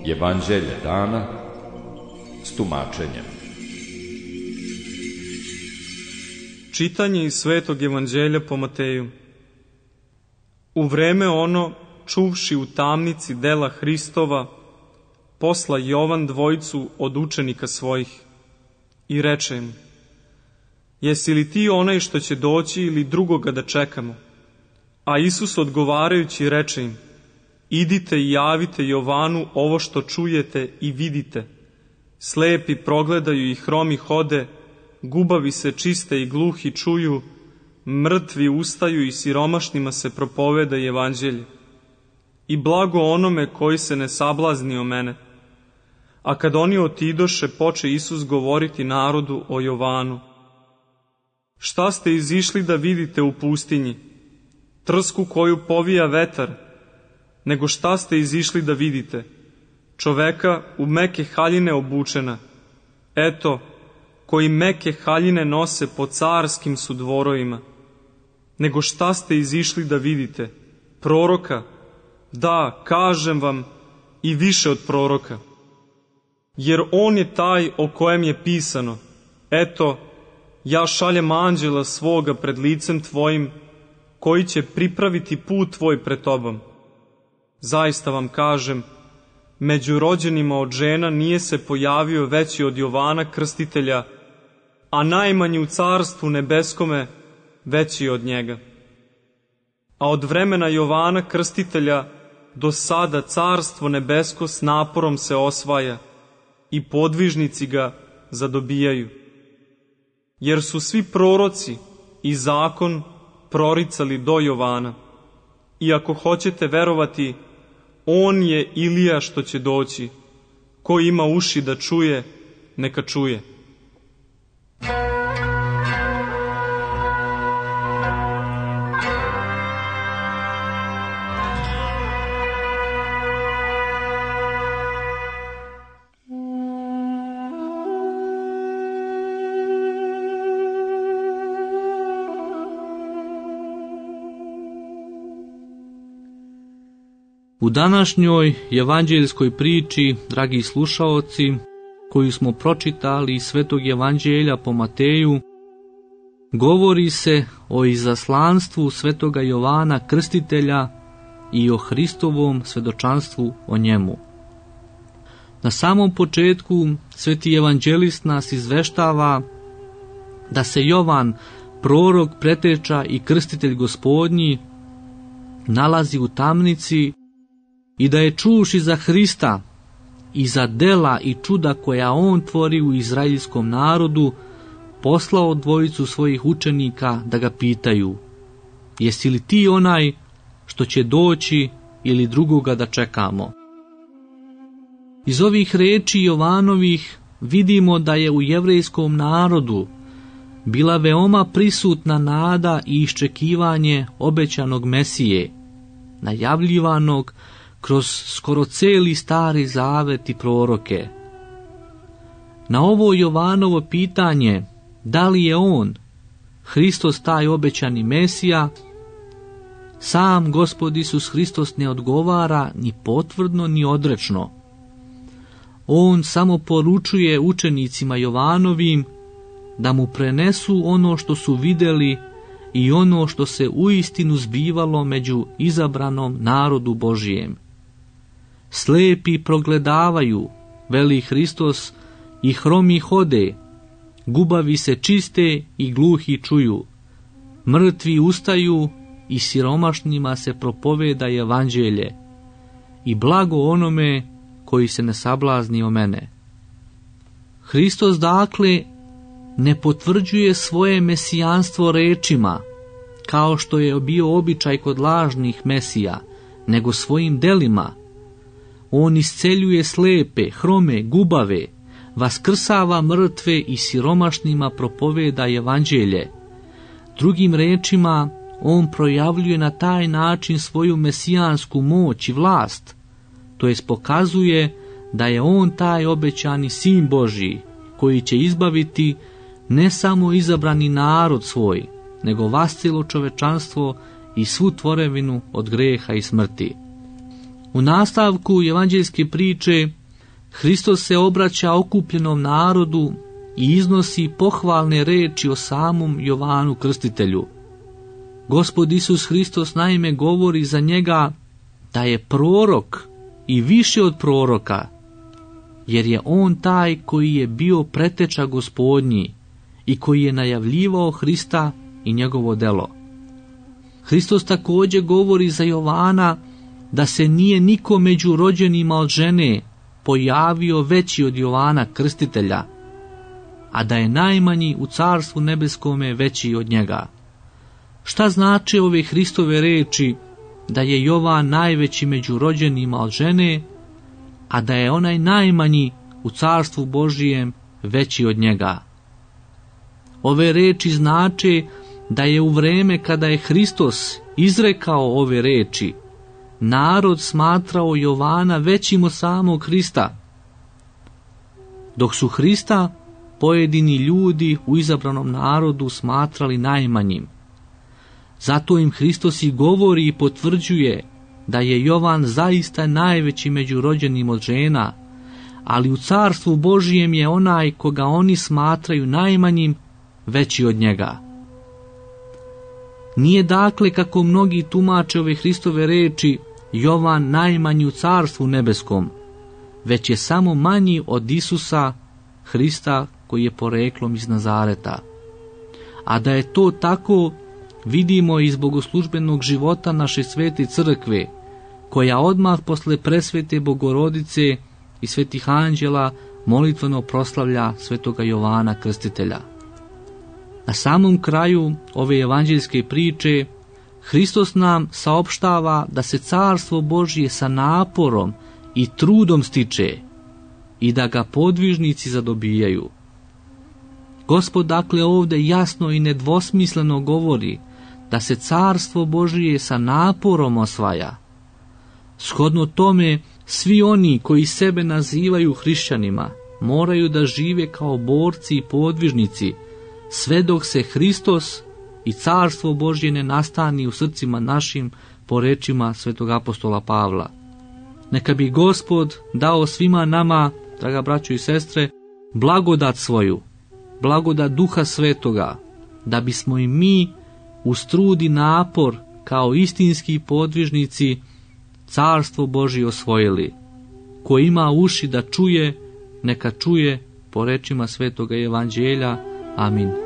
Evanđelje dana s tumačenjem. Čitanje iz Svetog Evanđelja po Mateju. U vreme ono, čuvši u tamnici dela Hristova, posla Jovan dvojicu od učenika svojih i reče im: Jesi li ti onaj što će doći ili drugoga da čekamo? A Isus odgovarajući reče im: Idite i javite Jovanu ovo što čujete i vidite. Slepi progledaju i hromi hode, gubavi se čiste i gluhi čuju, mrtvi ustaju i siromašnima se propoveda evanđelje. I blago onome koji se ne sablazni o mene. A kad oni otidoše, poče Isus govoriti narodu o Jovanu. Šta ste izišli da vidite u pustinji? Trsku koju povija vetar? Nego šta ste izišli da vidite? Čoveka u meke haljine obučena. Eto, koji meke haljine nose po carskim su dvorovima. Nego šta ste izišli da vidite? Proroka? Da, kažem vam, i više od proroka. Jer on je taj o kojem je pisano: Eto, ja šaljem anđela svoga pred licem tvojim, koji će pripraviti put tvoj pred tobom. Zaista vam kažem, među rođenima od žena nije se pojavio veći od Jovana Krstitelja, a najmanji u carstvu nebeskome veći od njega. A od vremena Jovana Krstitelja do sada carstvo nebesko s naporom se osvaja i podvižnici ga zadobijaju. Jer su svi proroci i zakon proricali do Jovana. I ako hoćete verovati, on je Ilija što će doći. Ko ima uši da čuje, neka čuje. U današnjoj evanđeljskoj priči, dragi slušaoci, koju smo pročitali iz Svetog Evanđelja po Mateju, govori se o izaslanstvu Svetoga Jovana Krstitelja i o Hristovom svedočanstvu o njemu. Na samom početku Sveti evanđelist nas izveštava da se Jovan, prorok, preteča i krstitelj Gospodnji, nalazi u tamnici i da je čuvši za Hrista i za dela i čuda koja on tvori u izraelskom narodu, poslao dvojicu svojih učenika da ga pitaju: Jesi li ti onaj što će doći ili drugoga da čekamo? Iz ovih reči Jovanovih vidimo da je u jevrejskom narodu bila veoma prisutna nada i iščekivanje obećanog Mesije, najavljivanog kroz skoro celi Stari Zavet i proroke. Na ovo Jovanovo pitanje, da li je on, Hristos, taj obećani Mesija, sam Gospod Isus Hristos ne odgovara ni potvrdno ni odrečno. On samo poručuje učenicima Jovanovim da mu prenesu ono što su vidjeli i ono što se uistinu zbivalo među izabranom narodu Božijem. Slepi progledavaju, veli Hristos, i hromi hode, gubavi se čiste i gluhi čuju, mrtvi ustaju i siromašnima se propoveda evanđelje, i blago onome koji se ne sablazni o mene. Hristos dakle ne potvrđuje svoje mesijanstvo rečima, kao što je bio običaj kod lažnih mesija, nego svojim delima. On isceljuje slepe, hrome, gubave, vaskrsava mrtve i siromašnima propoveda evanđelje. Drugim rečima, on projavljuje na taj način svoju mesijansku moć i vlast, to jest pokazuje da je on taj obećani Sin Božji, koji će izbaviti ne samo izabrani narod svoj, nego vas cijelo čovečanstvo i svu tvorevinu od greha i smrti. U nastavku evanđeljske priče Hristos se obraća okupljenom narodu i iznosi pohvalne reči o samom Jovanu Krstitelju. Gospod Isus Hristos naime govori za njega da je prorok i više od proroka, jer je on taj koji je bio preteča Gospodnji i koji je najavljivao Hrista i njegovo delo. Hristos također govori za Jovana da se nije niko među rođenima od žene pojavio veći od Jovana Krstitelja, a da je najmanji u Carstvu nebeskome veći od njega. Šta znače ove Hristove reči da je Jovan najveći među rođenima od žene, a da je onaj najmanji u Carstvu Božijem veći od njega? Ove reči znače da je u vreme kada je Hristos izrekao ove reči, narod smatrao Jovana većim od samog Hrista, dok su Hrista pojedini ljudi u izabranom narodu smatrali najmanjim. Zato im Hristos i govori i potvrđuje da je Jovan zaista najveći među rođenim od žena, ali u Carstvu Božijem je onaj koga oni smatraju najmanjim veći od njega. Nije dakle, kako mnogi tumače ove Hristove reči, Jovan najmanji u Carstvu nebeskom, već je samo manji od Isusa Hrista koji je poreklom iz Nazareta. A da je to tako, vidimo iz bogoslužbenog života naše svete crkve, koja odmah posle presvete Bogorodice i svetih anđela molitveno proslavlja svetoga Jovana Krstitelja. Na samom kraju ove evanđeljske priče Hristos nam saopštava da se Carstvo Božje sa naporom i trudom stiče i da ga podvižnici zadobijaju. Gospod dakle ovdje jasno i nedvosmisleno govori da se Carstvo Božje sa naporom osvaja. Shodno tome, svi oni koji sebe nazivaju hrišćanima moraju da žive kao borci i podvižnici, sve dok se Hristos i Carstvo Božje ne nastani u srcima našim, po rečima svetog apostola Pavla. Neka bi Gospod dao svima nama, draga braćo i sestre, blagodat svoju, blagodat Duha Svetoga, da bismo i mi uz trud i napor kao istinski podvižnici Carstvo Božje osvojili. Ko ima uši da čuje, neka čuje, po rečima svetoga evanđelja. Amin.